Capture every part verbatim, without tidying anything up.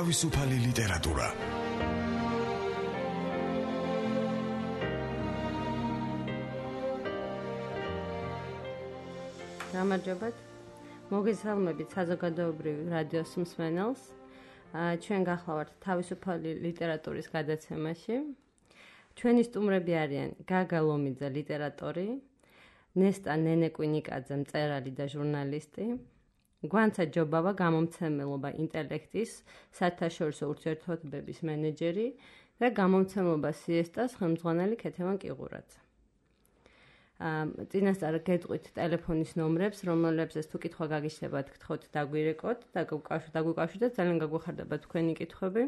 თავისუფალი ლიტერატურა. გამარჯობათ. მოგესალმებით საზოგადოებრივი რადიოს მსმენელს. ჩვენ გახლავართ თავისუფალი ლიტერატურის გადაცემაში. ჩვენი სტუმრები არიან გაგა ლომიძე, ლიტერატორი, ნესტა ნენეკვინიკაძე, მწერალი და ჟურნალისტი, გვანცა ჯობავა, გამომცემლობა ინტელექტის საერთაშორისო ურთიერთობების მენეჯერი და გამომცემლობა სიესტას ხელმძღვანელი ქეთევან კიღურაძე. წინასწარ გეტყვით ტელეფონის ნომრებს, რომლებზეც თუ კითხვა გაგიშლებათ, გთხოვთ დაგვირეკოთ და დაგვიკავშირდეთ, ძალიან გაგვეხარდება თქვენი კითხვები.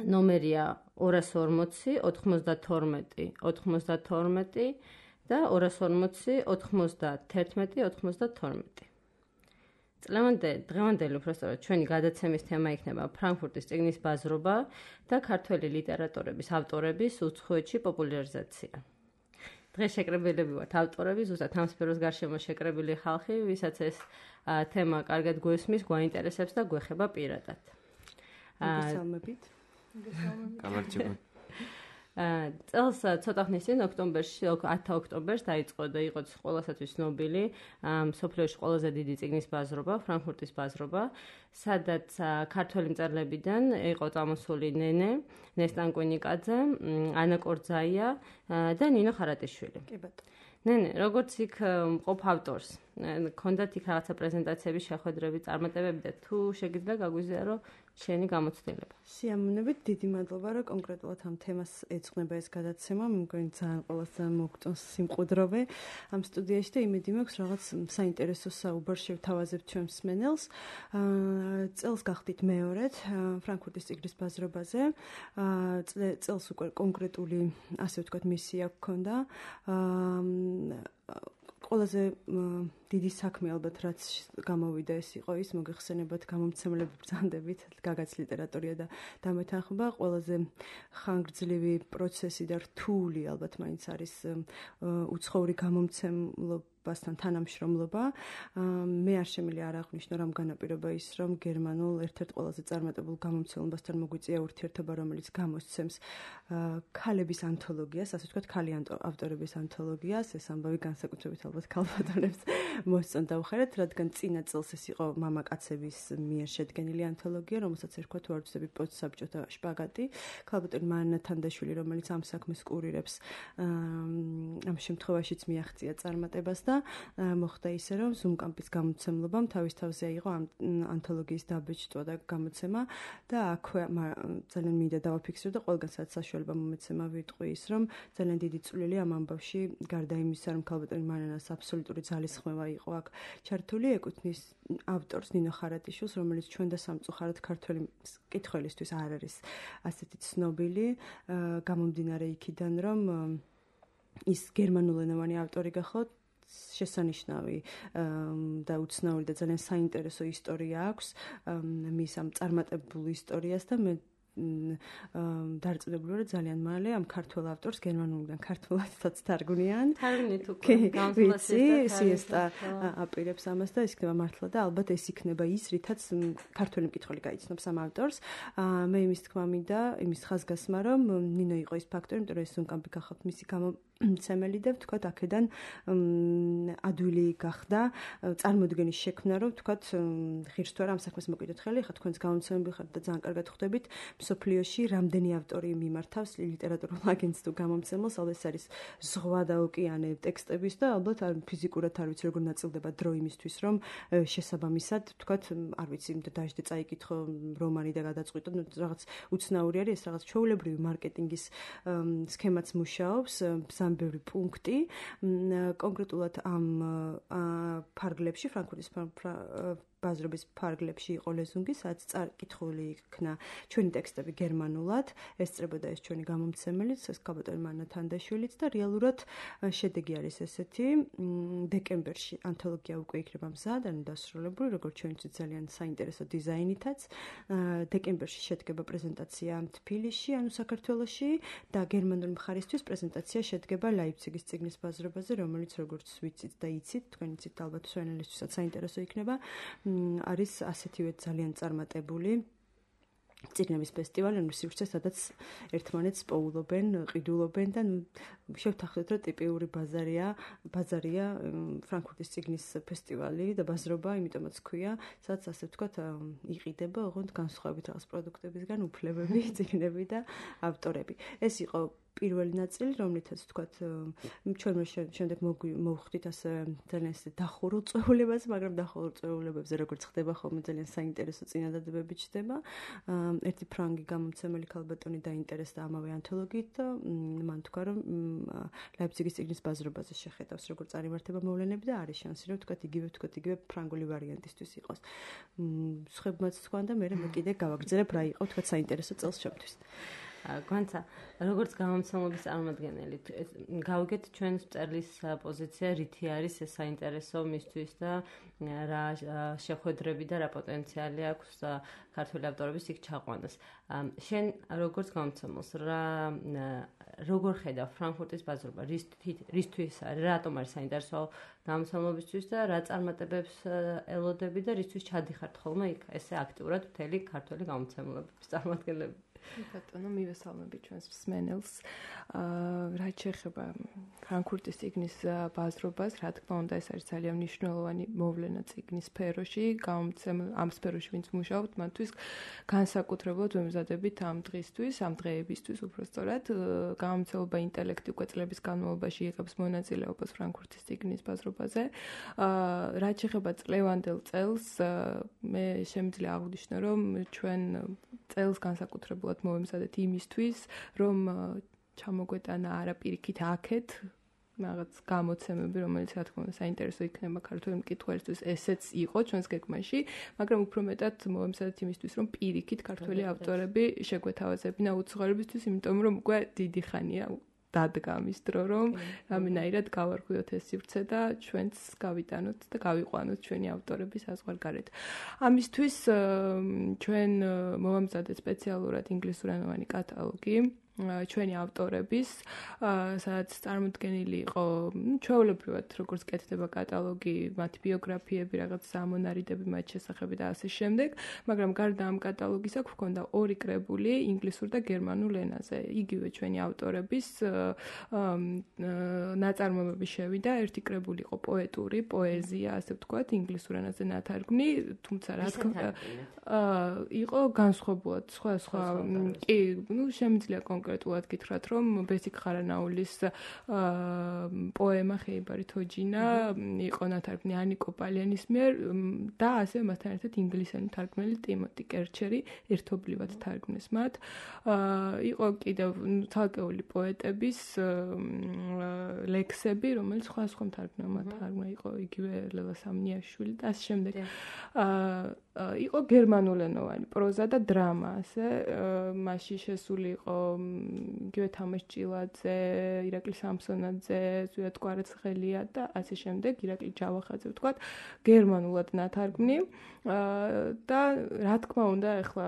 ნომერია ორას ორმოცი ოთხმოცდათორმეტი ოთხმოცდათორმეტი და ორას ორმოცი ოთხმოცდათერთმეტი ოთხმოცდათორმეტი. წლევანდელი დღევანდელი უბრალოდ ჩვენი გადაცემის თემა იქნება ფრანკფურტის წიგნის ბაზრობა და ქართველი ლიტერატორების ავტორების უცხოეთში პოპულარიზაცია. დღეს შეკრებილები ვართ ავტორები, ზუსტად ამ სფეროს გარშემო შეკრებილი ხალხი, ვისაც ეს თემა კარგად გვესმის, გვაინტერესებს და გვეხება პირადად. მოგესალმებით. გამარჯობა. წელს ცოტა ხნის წინ ოქტომბერში, ათი ოქტომბერს დაიწყო და იყო ყველასათვის ცნობილი მსოფლიოში ყველაზე დიდი წიგნის ბაზრობა, ფრანკფურტის ბაზრობა, სადაც ქართველი მწერლებიდან იყო წამოსული ნენე, ნესტა ნენეკვინიკაძე, ანა კორძაია და ნინო ხარატიშვილი. კი ბატონო. ნენე, როგორც იქ მყოფ ავტორს, ქონდათ იქ რაღაცა პრეზენტაციების შეხვედრები, წარმატებები და თუ შეგიძლია გაგვიზიარო შენი გამოცდილება. სიამოვნებით, დიდი მადლობა, რომ კონკრეტულად ამ თემას ეძღვნება ეს გადაცემა. მე მგონი ძალიან ყველას ძალიან მოგწონს სიმყუდროვე ამ სტუდიაში და იმედი მაქვს რაღაც საინტერესო საუბარს შევთავაზებთ ჩვენ მსმენელს. წელს გახდით მეორედ ფრანკფურტის წიგნის ბაზრობაზე. წელს უკვე კონკრეტული, ასე ვთქვათ, მისია გქონდა. ყველაზე დიდი საქმე ალბათ რაც გამოვიდა ეს იყო ის მოგეხსენებათ გამომცემლები ბრძანდებით გაგაც ლიტერატურა და დამეთანხმება ყველაზე ხანგრძლივი პროცესი და რთული ალბათ მაინც არის უცხოური გამომცემლობასთან თანამშრომლობა. მე არ შემიძლია არ აღვნიშნო რამ განაპირობა ის რომ გერმანულ ერთ-ერთ ყველაზე წარმატებულ გამომცემლობასთან მოგვიწია ურთიერთობა რომელიც გამოსცემს ქალების ანთოლოგიას, ასე ვთქვათ, ქალი ავტორების ანთოლოგიას. ეს ამბავი განსაკუთრებით ალბათ ქალბატონებს მოსწონთ დავხერეთ, რადგან წინა წელს ეს იყო მამაკაცების მიერ შედგენილი ანთოლოგია, რომელსაც ერქვა თუ არ ვცდები პოსტსაბჭოთა შპაგატი. ქალბატონი მარინა თანდაშვილი, რომელიც ამ საქმეს კურირებს, ამ შემთხვევაშიც მიაღწია წარმატებას და მოხდა ისე, რომ ზუმკამპის გამოცემლობამ თავის თავზე აიღო ამ ანთოლოგიის დაბეჭდვა და გამოცემა და აქვე ძალიან მინდა დავაფიქსირო და ყველგან სადაც საშუალება მომეცემა ვიტყვი ის, რომ ძალიან დიდი წვლილი ამ ამბავში გარდა იმისა, რომ ქალბატონი მარინას აბსოლუტური ძალისხმევა იყო აქ ჩართული, ეკუთვნის ავტორს ნინო ხარატიშვილს, რომელიც ჩვენ და სამწუხაროდ ქართველი მკითხველისთვის არ არის ასეთი ცნობილი, გამომდინარე იქიდან, რომ ის გერმანულენოვანი ავტორი გახოთ, შესანიშნავი და უცნაური და ძალიან საინტერესო ისტორია აქვს მის ამ წარმატებულ ისტორიას და მე დარწმუნებული ვარ ძალიან მალე ამ ქართველ ავტორს გერმანულიდან ქართულადაც თარგმნიან. თარგმნით უკვე განსხვავებული სიესტა აპირებს ამას და ის იქნება მართლა და ალბათ ეს იქნება ის, რითაც ქართველი მკითხველი გაიცნობს ამ ავტორს. მე იმის თქმა მინდა, იმის ხაზგასმა, რომ ნინო იყო ის ფაქტორი, იმიტომ რომ ეს ზუმკამპი გახავთ მისი გამომცემელი და ვთქვათ აქედან ადვილი გახდა წარმოდგენის შექმნა, რომ ვთქვათ ღირს თუ არა ამ საქმეს მოკიდოთ ხელი, ხა თქვენს გამომცემლები ხართ და ძალიან კარგად ხვდებით მსოფლიოში რამდენი ავტორი მიმართავს ლიტერატურულ აგენტს თუ გამომცემელს, ალბათ ეს არის ზღვა და ოკეანე ტექსტების და ალბათ ფიზიკურად არ ვიცი როგორ ნაწილდება დრო იმისთვის, რომ შესაბამისად, ვთქვათ, არ ვიცი, დაждე წაიკითხო რომანი და გადაწყვიტო, ну რაღაც უცნაური არის, ეს რაღაც ჩვეულებრივი მარკეტინგის სქემაც მუშაობს, ძალიან ბევრი პუნქტი, კონკრეტულად ამ ფარგლებში, ფრანკფურტის ბაზრობის ფარგლებში იყო ლეზუნგი, სადაც წაკითხული იქნა ჩვენი ტექსტები გერმანულად, ესწრებოდა ეს ჩვენი გამომცემელიც, ეს ქალბატონი მარინა თანდაშვილიც და რეალურად შედეგი არის ესეთი, დეკემბერში ანთოლოგია უკვე იქნება მზად, ანუ დასრულებული, როგორც ჩვენთვის ძალიან საინტერესო დიზაინითაც. დეკემბერში შედგება პრეზენტაცია თბილისში, ანუ საქართველოში და გერმანული მხარისთვის პრეზენტაცია შედგება ლაიფციგის წიგნის ბაზრობაზე, რომელიც როგორც ვიცით და იცით, თქვენ იცით ალბათ სვენელისთვისაც საინტერესო იქნება. არის ასეთივე ძალიან წარმატებული წიგნების ფესტივალი, ანუ სივრცე, სადაც ერთმანეთს პოულობენ, ყიდულობენ და შევთანხმდეთ, რომ ტიპიური ბაზარია, ბაზარია ფრანკფურტის წიგნის ფესტივალი და ბაზრობა, იმიტომაც ქვია, სადაც ასე ვთქვათ, იყიდება ოღონდ განსხვავებით რაღაც პროდუქტებისგან უფლებები, წიგნები და ავტორები. ეს იყო პირველი ნაწილი, რომლითაც ვთქვათ, ჩვენ შემდეგ მოვხდით ასე ძალიან ისე დახურულ წვეულებას, მაგრამ დახურულ წვეულებებზე როგორც ხდება ხოლმე ძალიან საინტერესო წინადადებები ჩდება. ერთი ფრანგი გამომცემელი ქალბატონი დაინტერესდა ამავე ანთოლოგიით და მან თქვა, რომ ლაიფციგის წიგნის ბაზრობაზე შეხედავს, როგორც წარიმართება მოვლენები და არის შანსი, რომ ვთქვათ, იგივე ვთქვათ, იგივე ფრანგული ვარიანტისთვის იყოს. სხვებმაც თქვა და მე მე კიდე გავაგრძელებ რა იყო ვთქვათ საინტერესო წელს ჩემთვის. გვანცა, როგორც გამომცემლობის წარმომადგენელი, გავიგეთ ჩვენს წერლის პოზიცია, რითი არის ეს საინტერესო მისთვის და რა შეხვედრები და რა პოტენციალი აქვს ქართული ავტორების იქ ჩაყვანას. შენ როგორც გამომცემელს, რა როგორ ხედავ ფრანკფურტის ბაზრობა, რისთვის არის, რატომ არის საინტერესო გამომცემლობისთვის და რა წარმატებებს ელოდები და რისთვის ჩადიხართ ხოლმე იქ ესე აქტიურად მთელი ქართული გამომცემლობის წარმომადგენლები? ბატონო, მივესალმები ჩვენს მსმენელს. რაც შეეხება ფრანკფურტის წიგნის ბაზრობას, რა თქმა უნდა, ეს არის ძალიან მნიშვნელოვანი მოვლენა წიგნის სფეროში, გამომცემელ ამ სფეროში ვინც მუშაობთ, მათთვის განსაკუთრებულად ვემზადებით ამ დღისთვის, ამ დღეებისთვის უბრალოდ. გამომცემლობა ინტელექტი უკვე წლების განმავლობაში იღებს მონაწილეობას ფრანკფურტის წიგნის ბაზრობაზე. რაც შეეხება წლევანდელ წელს, მე შემიძლია აღვნიშნო, რომ ჩვენ წელს განსაკუთრებულად მოვემზადეთ იმისთვის, რომ ჩამოგვეტანა არა პირიქით აქეთ რაღაც გამოცემები, რომელიც რა თქმა უნდა საინტერესო იქნება ქართული მკითხველისთვის, ესეც იყო ჩვენს გეგმაში, მაგრამ უფრო მეტად მოვემზადეთ იმისთვის, რომ პირიქით ქართული ავტორები შეგვეთავაზებინა უცხოელებისთვის, იმიტომ რომ უკვე დიდი ხანია დადგა ამის დრო, რომ რამენაირად გავარღვიოთ ეს სივრცე და ჩვენც გავიტანოთ და გავიყვანოთ ჩვენი ავტორების საზღვარგარეთ. ამისთვის ჩვენ მოვამზადეთ სპეციალურად ინგლისურენოვანი კატალოგი ჩვენი ავტორების, სადაც წარმოდგენილი იყო ჩვეულებრივად როგორც კეთდება კატალოგი, მათი ბიოგრაფიები, რაღაც სამონარიდები მათ შესახებ და ასე შემდეგ, მაგრამ გარდა ამ კატალოგისა გვქონდა ორი კრებული ინგლისურ და გერმანულ ენაზე. იგივე ჩვენი ავტორების ნაწარმოებები შევიდა, ერთი კრებული იყო პოეტური, პოეზია, ასე ვთქვათ, ინგლისურ ენაზე ნათარგმნი, თუმცა რა თქმა იყო განსხვავებულად, სხვა სხვა კი, ну, შემიძლია კონკრეტულად გითხრათ, რომ ბესიკ ხარანაულის პოემა ხეიბარი თოჯინა იყო ნათარგმნი ანიკო პალიანის მიერ და ასევე მასთან ერთად ინგლისელი თარგმნელი ტიმოტი კერჩერი ერთობლივად თარგმნეს მათ. იყო კიდევ თალკეული პოეტების ლექსები, რომელიც სხვა სხვა თარგმნელმა თარგმნა, იყო იგივე ლელა სამნიაშვილი და ამ შემდეგ. იყო გერმანულენოვანი პროზა და დრამა, ასე მასში შესული იყო იგივე თამაშ ჭილაძე, ირაკლი სამსონაძე, ზვიად კვარაცხელია და ასე შემდეგ, ირაკლი ჯავახაძე ვთქვათ, გერმანულად ნათარგმნი და რა თქმა უნდა, ეხლა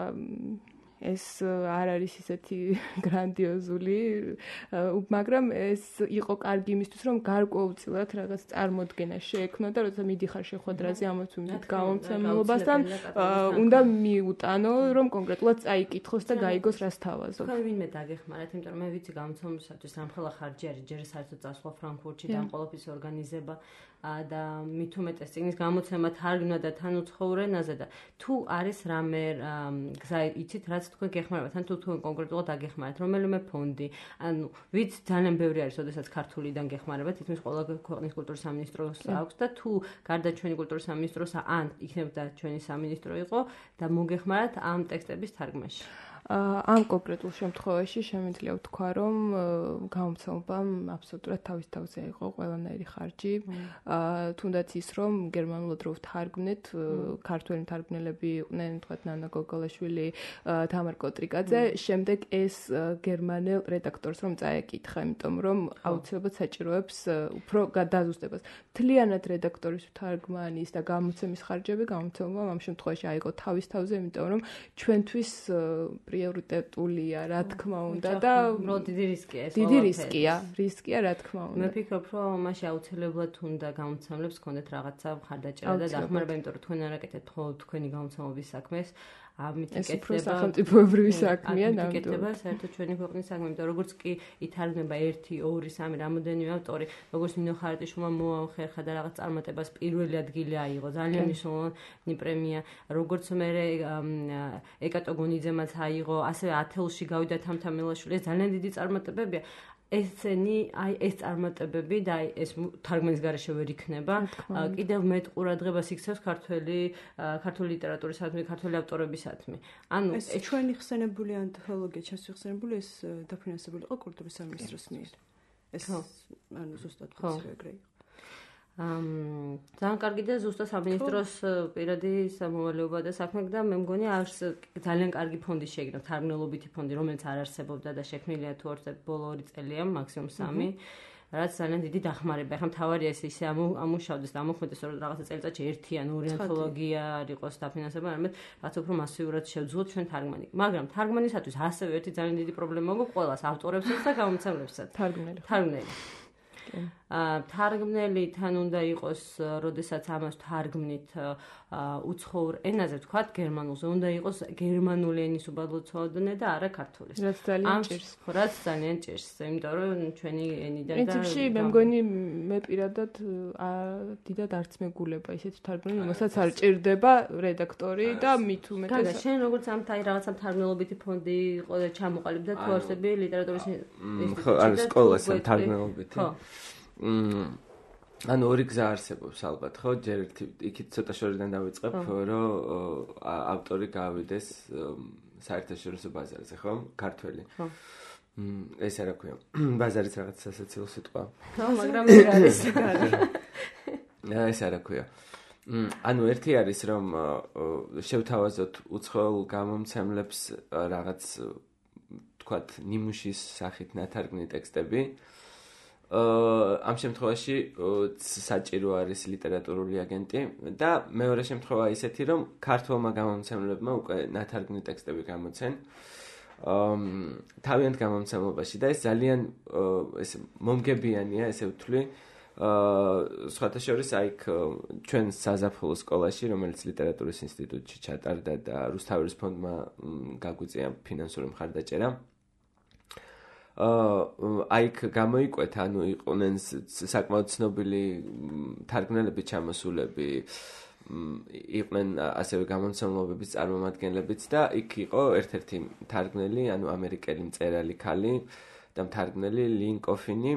ეს არ არის ისეთი გრანდიოზული, მაგრამ ეს იყო კარგი იმისთვის, რომ გარკვეულწილად რაღაც წარმოდგენა შეექმნა და როცა მიდიხარ შეხვედრაზე ამათ ვიმდით გამომცემლობასთან, უნდა მიუტანო, რომ კონკრეტულად წაიკითხოს და გაიგოს რას თავაზობ. თქვენ ვინმე დაგეხმარათ, იმიტომ რომ მე ვიცი გამომცემლობისათვის რამხელა ხარჯი არის, ჯერ საერთოდ წასვლა ფრანკფურტში და ყოველთვის ორგანიზება და მით უმეტეს წიგნის გამოცემა თარგმნა და თან უცხოურ ენაზე და თუ არის რამე გზა იცით რაც თქვენ გეხმარებათ ან თუ თქვენ კონკრეტულად დაგეხმარათ რომელიმე ფონდი ანუ ვიც ძალიან ბევრი არის ოდესაც ქართულიდან გეხმარებათ თითქმის ყველა ქვეყნის კულტურის სამინისტროს აქვს და თუ გარდა ჩვენი კულტურის სამინისტროს ან იქნებოდა ჩვენი სამინისტრო იყო და მოგეხმარათ ამ ტექსტების თარგმნაში ამ კონკრეტულ შემთხვევაში შემიძლია ვთქვა, რომ გამომცემლობამ აბსოლუტურად თავის თავზე იყო ყველანაირი ხარჯი. თუნდაც ის, რომ გერმანულად რო ვთარგმნეთ, ქართველი მთარგმნელები იყვნენ, თქვათ ნანა გოგოლაშვილი, თამარ კოტრიკაძე, შემდეგ ეს გერმანელ რედაქტორს რომ წაეკითხა, იმიტომ რომ აუცილებლად საჭიროებს უფრო გადაზუსტებას. მთლიანად რედაქტორის თარგმანის და გამოცემის ხარჯები გამომცემლობამ ამ შემთხვევაში აიღო თავის თავზე, იმიტომ რომ ჩვენთვის პრიორიტეტულია, რა თქმა უნდა და დიდი რისკია ეს. დიდი რისკია, რისკია, რა თქმა უნდა. მე ვფიქრობ, რომ მაშინ აუცილებლად უნდა გამომცემლებს ქონდეთ რაღაცა მხარდაჭერა და დახმარება, იმიტომ რომ თქვენ არ აკეთებთ მხოლოდ თქვენი გამომცემლობის საქმეს, ამით იკეთება. ეს უფრო სახელმწიფოებრივი საქმეა ნამდვილად. იკეთება საერთოდ ჩვენი ქვეყნის საქმე, იმიტომ რომ როგორც კი ითარგმნება ერთი, ორი, სამი რამოდენიმე ავტორი, როგორც ნინო ხარიტაშვილმა მოახერხა და რაღაც წარმატებას პირველი ადგილი აიღო, ძალიან მნიშვნელოვანი პრემია, როგორც მე ეკატო გონიძემაც აიღო, ასევე ათეულში გავიდა თამთამელაშვილი, ეს ძალიან დიდი წარმატებებია. ესენი, აი ეს წარმატებები და აი ეს თარგმანის გარეშე ვერ იქნება. კიდევ მეტ ყურადღებას იქცევს ქართველი ქართული ლიტერატურისადმი, ქართველი ავტორებისადმი. ანუ ეს ჩვენი ხსენებული ანთოლოგია, ჩემს ხსენებული ეს დაფინანსებული იყო კულტურის სამინისტროს მიერ. ეს ანუ ზუსტად ეგრე იყო. ამ ძალიან კარგი და ზუსტად სამინისტროს პირადი სამოვალეობა და საქმე და მე მგონი არს ძალიან კარგი ფონდი შეიქმნა, თარგმნელობითი ფონდი, რომელიც არ არსებობდა და შექმნილია თუ ორ ბოლო ორი წელია, მაქსიმუმ სამი. რაც ძალიან დიდი დახმარება. ეხლა მთავარია ეს ისე ამუშავდეს და ამოქმედდეს, რომ რაღაცა წელიწადში ერთი ან ორი ანთოლოგია არ იყოს დაფინანსება, არამედ რაც უფრო მასიურად შევძღოთ ჩვენ თარგმანი. მაგრამ თარგმანისათვის ასევე ერთი ძალიან დიდი პრობლემა გვაქვს ყველას ავტორებსაც და გამომცემლებსაც. თარგმნელი. თარგმნელი. აა თარგმნელი თან უნდა იყოს, როდესაც ამას თარგმნით უცხოურ ენაზე, ვთქვათ, გერმანულზე, უნდა იყოს გერმანული ენის უბადლოცოდნე და არა ქართულის. რაც ძალიან ჭირს. რაც ძალიან ჭირს, იმიტომ რომ ჩვენი ენიდან და პრინციპში მე მგონი მე პირადად დიდად არც მეგულება ისეთ თარგმნელი, რომელსაც არ ჭირდება რედაქტორი და მით უმეტეს. გაგა, შენ როგორც ამ თაი რაღაცა თარგმნელობითი ფონდი იყო და ჩამოყალიბდა თუ არსები ლიტერატურის ინსტიტუტში. ხო, არის სკოლას თარგმნელობითი. ხო. ანუ ორი გზა არსებობს ალბათ, ხო? ჯერ ერთი იქით ცოტა შორიდან დავიწყებ, რომ ავტორი გავიდეს საერთაშორისო ბაზარზე, ხო? ქართველი. ხო. ეს რა ქვია? ბაზარიც რაღაც სასაცილო სიტყვა. ხო, მაგრამ ეს არის გარი. ეს რა ქვია? ანუ ერთი არის, რომ შევთავაზოთ უცხოელ გამომცემლებს რაღაც თქვათ, ნიმუშის სახით ნათარგმნი ტექსტები. ამ შემთხვევაში საჭირო არის ლიტერატურული აგენტი და მეორე შემთხვევა ისეთი, რომ ქართულმა გამომცემლებმა უკვე ნათარგმნი ტექსტები გამოცენ თავიანთ გამომცემლობაში და ეს ძალიან ეს მომგებიანია, ესე ვთვლი. სხვათა შორის აი ჩვენ საზაფხულო სკოლაში, რომელიც ლიტერატურის ინსტიტუტში ჩატარდა და რუსთაველის ფონდმა გაგვიწია ფინანსური მხარდაჭერა. აი გამოიკვეთა, ანუ იყვნენ საკმაოდ ცნობილი თარგმნელები, ჩამოსულები, იყვნენ ასევე გამომცემლობების წარმომადგენლებიც და იქ იყო ერთ-ერთი თარგმნელი, ანუ ამერიკელი მწერალი ქალი და მთარგმნელი ლინ კოფინი,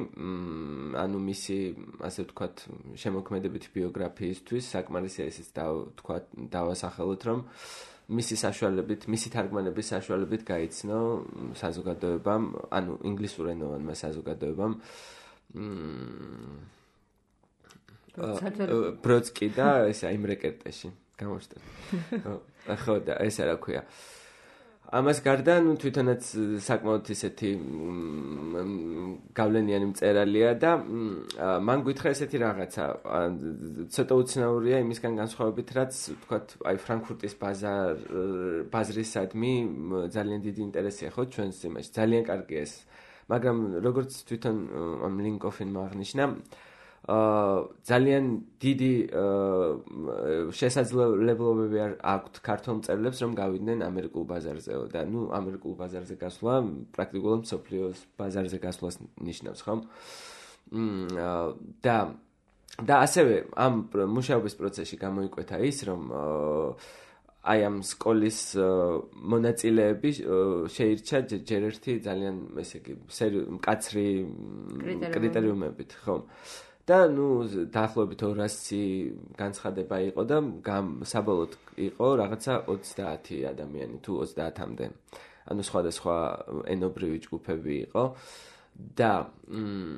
ანუ მისი, ასე ვთქვათ, შემოქმედებითი ბიოგრაფიისთვის საკმარისია ისიც ვთქვათ, დავასახელოთ, რომ მისი საშუალებით, მისი თარგმანების საშუალებით გაიცნო საზოგადოებამ, ანუ ინგლისურენოვანმა საზოგადოებამ ბროდსკი და ესა იმ რეკერტეში გამოჩნდა. ხო და ეს რა ქვია. ამას გარდა, ნუ თვითონაც საკმაოდ ისეთი გავლენიანი მწერალია და მან გითხრა ესეთი რაღაცა, ცოტა უცნაურია იმისგან განსხვავებით, რაც ვთქვათ, აი ფრანკფურტის ბაზარ ბაზრისადმი ძალიან დიდი ინტერესია ხო ჩვენს იმაში, ძალიან კარგია ეს. მაგრამ როგორც თვითონ ამ ლინ კოფინმა აღნიშნა, ძალიან დიდი შესაძლებლობები აქვთ ქართულ მწერლებს, რომ გავიდნენ ამერიკულ ბაზარზეო და ნუ ამერიკულ ბაზარზე გასვლა პრაქტიკულად მსოფლიოს ბაზარზე გასვლას ნიშნავს, ხო? და და ასევე ამ მუშაობის პროცესში გამოიკვეთა ის, რომ აი ამ სკოლის მონაწილეები შეირჩა ჯერ ერთი ძალიან, ესე იგი, მკაცრი კრიტერიუმებით, ხო? და ნუ დაახლოებით ორასი განცხადება იყო და საბოლოოდ იყო რაღაცა ოცდაათი ადამიანი თუ ოცდაათამდე. ანუ სხვადასხვა ენობრივი ჯგუფები იყო და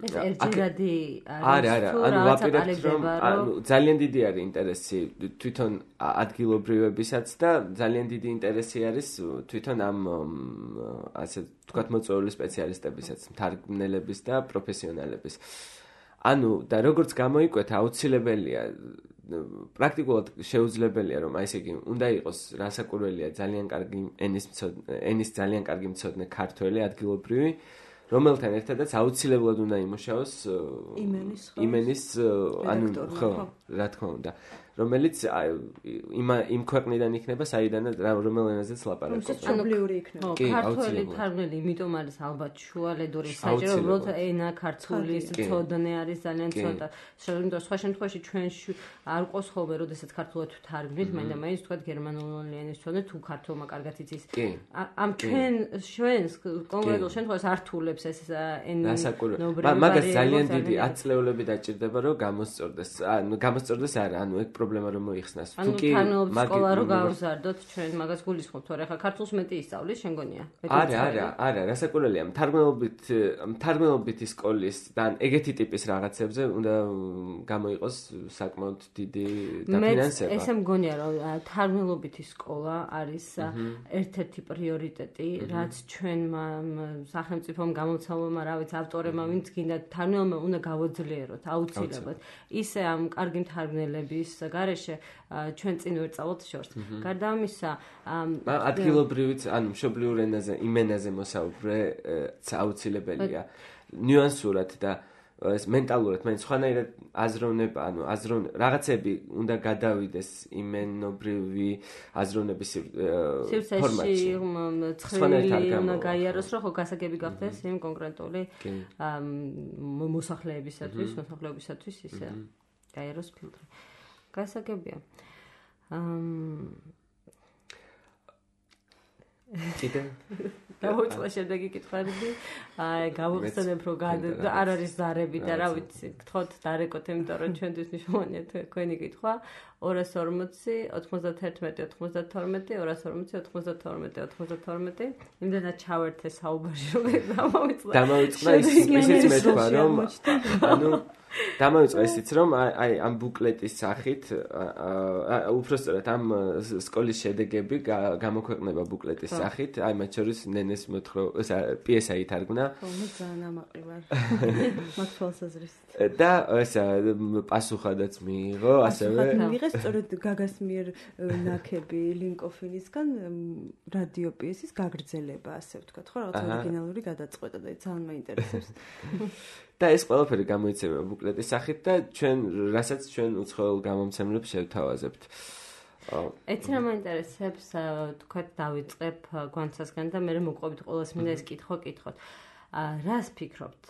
ეს ერთჯერადი არა, არა, ანუ ვაპირებთ რომ ანუ ძალიან დიდი არის ინტერესი თვითონ ადგილობრივებისაც და ძალიან დიდი ინტერესი არის თვითონ ამ ასე ვთქვათ მოწვეული სპეციალისტებისაც, მთარგმნელების და პროფესიონალების. ანუ და როგორც გამოიკვეთა, აუცილებელია პრაქტიკულად შეუძლებელია რომ აი ესე იგი უნდა იყოს რასაკურველია ძალიან კარგი ენის ენის ძალიან კარგი მცოდნე ქართველი ადგილობრივი, რომელთან ერთადაც აუცილებლად უნდა იმუშაოს იმენის ანუ ხო, რა თქმა უნდა. რომელიც იმ იმ ქვეყნიდან იქნება, საიდანაც რომელ ენაზეც ლაპარაკობს. მშობლიური იქნება. კი, ქართული თარგმნელი, იმიტომ არის ალბათ შუალედური საჭირო, უბრალოდ ენა ქართულის ცოდნე არის ძალიან ცოტა. შემდგომ სხვა შემთხვევაში ჩვენ არ ყოს ხოლმე, როდესაც ქართულად თარგმნით, მაინდა მაინც თქვა გერმანული ენის ცოდნე თუ ქართულმა კარგად იცის. ამ ჩვენ ჩვენს კონკრეტულ შემთხვევაში ართულებს ეს ენობრივი მაგას ძალიან დიდი აწლეულები დაჭირდება, რომ გამოსწორდეს. ანუ გამოსწორდეს არა, ანუ ეგ პრობლემა რომ მოიხსნას. თუ კი სკოლა რო გავზარდოთ, ჩვენ მაგას გულისხმობთ, თორე ხა ქართულს მეტი ისწავლის, შენ გონია? არა, არა, არა, რასაკვირველია, თარგმნობით თარგმნობითი სკოლის და ეგეთი ტიპის რაღაცებზე უნდა გამოიყოს საკმაოდ დიდი დაფინანსება. მე ესე მგონია, რომ თარგმნობითი სკოლა არის ერთ-ერთი პრიორიტეტი, რაც ჩვენმა სახელმწიფომ გამოცემულმა, რა ვიცი, ავტორებმა, ვინც გინდა თარგმნელმა უნდა გავოძლიეროთ აუცილებლად. ისე ამ კარგი მთარგმნელების გარეშე ჩვენ წინ ვერ წავალთ შორს. გარდა ამისა, ადგილობრივიც, ანუ მშობლიურ ენაზე, იმ ენაზე მოსაუბრე აუცილებელია. ნიუანსურად და ეს მენტალურად, მაინც სხვანაირად აზროვნება, ანუ აზროვნ რაღაცები უნდა გადავიდეს იმენობრივი აზროვნების ფორმატში. ცხრილი უნდა გაიაროს, რომ ხო გასაგები გახდეს იმ კონკრეტული მოსახლეებისათვის, მოსახლეობისათვის ისე გაიაროს ფილტრი. გასაგებია. კიდე დავუწყო შემდეგი კითხვები. აი, გავიხსენებ, რომ არ არის ზარები და რა ვიცი, გთხოვთ დარეკოთ, იმიტომ რომ ჩვენთვის მნიშვნელოვანია თქვენი კითხვა. ორას ორმოცი, ოთხმოცდათერთმეტი, ოთხმოცდათორმეტი, ორას ორმოცი, ოთხმოცდათორმეტი, ოთხმოცდათორმეტი. იმდენად ჩავერთე საუბარში, რომ დამოვიწყდა. დამოვიწყდა ისიც მეთქვა, რომ ანუ დამოვიწყდა ისიც, რომ აი ამ ბუკლეტის სახით, უბრალოდ ამ სკოლის შედეგები გამოქვეყნება ბუკლეტის სახით, აი მათ შორის ნენეს მოთხრობ, პიესა ითარგმნა. ხო, მე ძალიან ამაყი ვარ. მათ თვალსაზრისით. და ესა პასუხადაც მიიღო, ასევე მიიღეს სწორედ გაგას მიერ ნაკები ლინკოფინისგან რადიო პიესის გაგრძელება, ასე ვთქვათ, ხო, რაღაც ორიგინალური გადაწყვეტა და ძალიან მაინტერესებს. და ეს ყველაფერი გამოიცემა ბუკლეტის სახით და ჩვენ, რასაც ჩვენ უცხოელ გამომცემლებს შევთავაზებთ. ეცი რა მაინტერესებს, თქვათ დავიწყებ გვანცასგან და მე მოყვებით ყოველს მინდა ეს კითხვა კითხოთ. რას ფიქრობთ